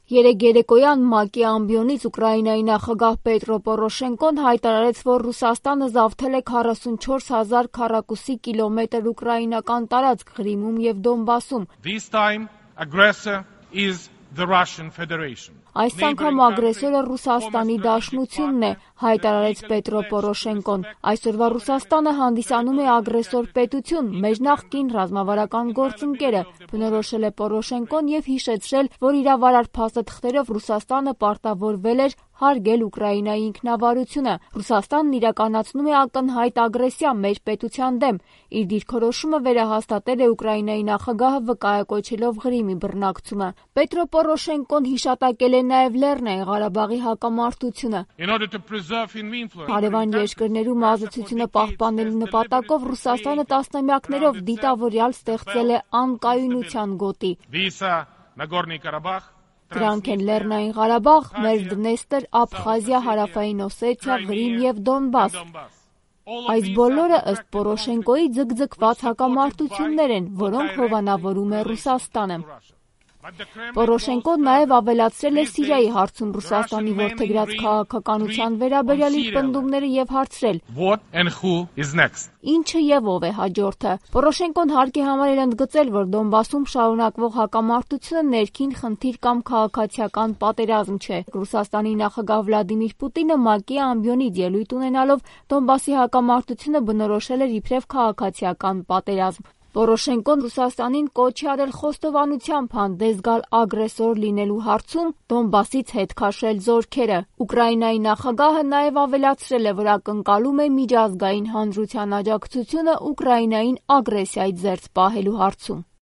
Երեկ երեկոյան ՄԱԿ-ի ամբիոնից Ուկրաինայի նախագահ Պետրո Պորոշենկոն հայտարարեց, որ Ռուսաստանը զավթել է 44 հազար քառակուսի կիլոմետր ուկրաինական տարածք Ղրիմում և Դոնբասում։ Այս անգամ ագրեսորը Ռուսաստանի Դաշնությունն է, հայտարարեց Պետրո Պորոշենկոն։ Այսօրվա Ռուսաստանը հանդիսանում է ագրեսոր պետություն, մեր նախկին ռազմավարական գործընկերը, բնորոշել է Պորոշենկոն և հիշեցրել, որ իրավարար փաստաթղթերով Ռուսաստանը պարտավորվել էր հարգել Ուկրաինայի ինքնավարությունը։ Ռուսաստանն իրականացնում է ակնհայտ ագրեսիա մեր պետության դեմ։ Իր դիրքորոշումը վերահաստատել է Ուկրաինայի նախագահը վկայակոչելով Ղրիմի բռնակցումը։ Պետրո Պորոշենկոն հիշատակել է նաև Լեռնային Ղարաբաղի հակամարտությունը։ Հարևան երկրներում ազատությունը պահպանելու նպատակով Ռուսաստանը տասնամյակներով դիտավորյալ ստեղծել է անկայունության գոտի։ Դրանք են Լեռնային Ղարաբաղ, Մերձդնեստր, Աբխազիա, Հարավային Օսեթիա, Ղրիմ և Դոնբաս։ Այս բոլորը ըստ Պորոշենկոյի ձգձգված հակամարտություններ են, որոնք հովանավորում է Ռուսաստանը։ Պորոշենկոն նաև ավելացրել է Սիրիայի հարցում Ռուսաստանի որդեգրած քաղաքականության վերաբերյալ իր պնդումները և հարցրել. Ինչը և ով է հաջորդը։ Պորոշենկոն հարկ է համարել ընդգծել, որ Դոնբասում շարունակվող հակամարտությունը ներքին խնդիր կամ քաղաքացիական պատերազմ չէ։ Ռուսաստանի նախագահ Վլադիմիր Պուտինը ՄԱԿ-ի ամբիոնից ելույթ ունենալով Դոնբասի հակամարտությունը բնորոշել էր իբրև քաղաքացիական պատերազմ։ Պորոշենկոն Ռուսաստանին կոչ է արել խոստովանությամբ հանդես գալ ագրեսոր լինելու հարցում, Դոնբասից հետ քաշել զորքերը։ Ուկրաինայի նախագահը նաև ավելացրել է, որ ակնկալում է միջազգային հանրության աջակցությունը Ուկրաինային ագրեսիայից զերծ պահելու հարցում։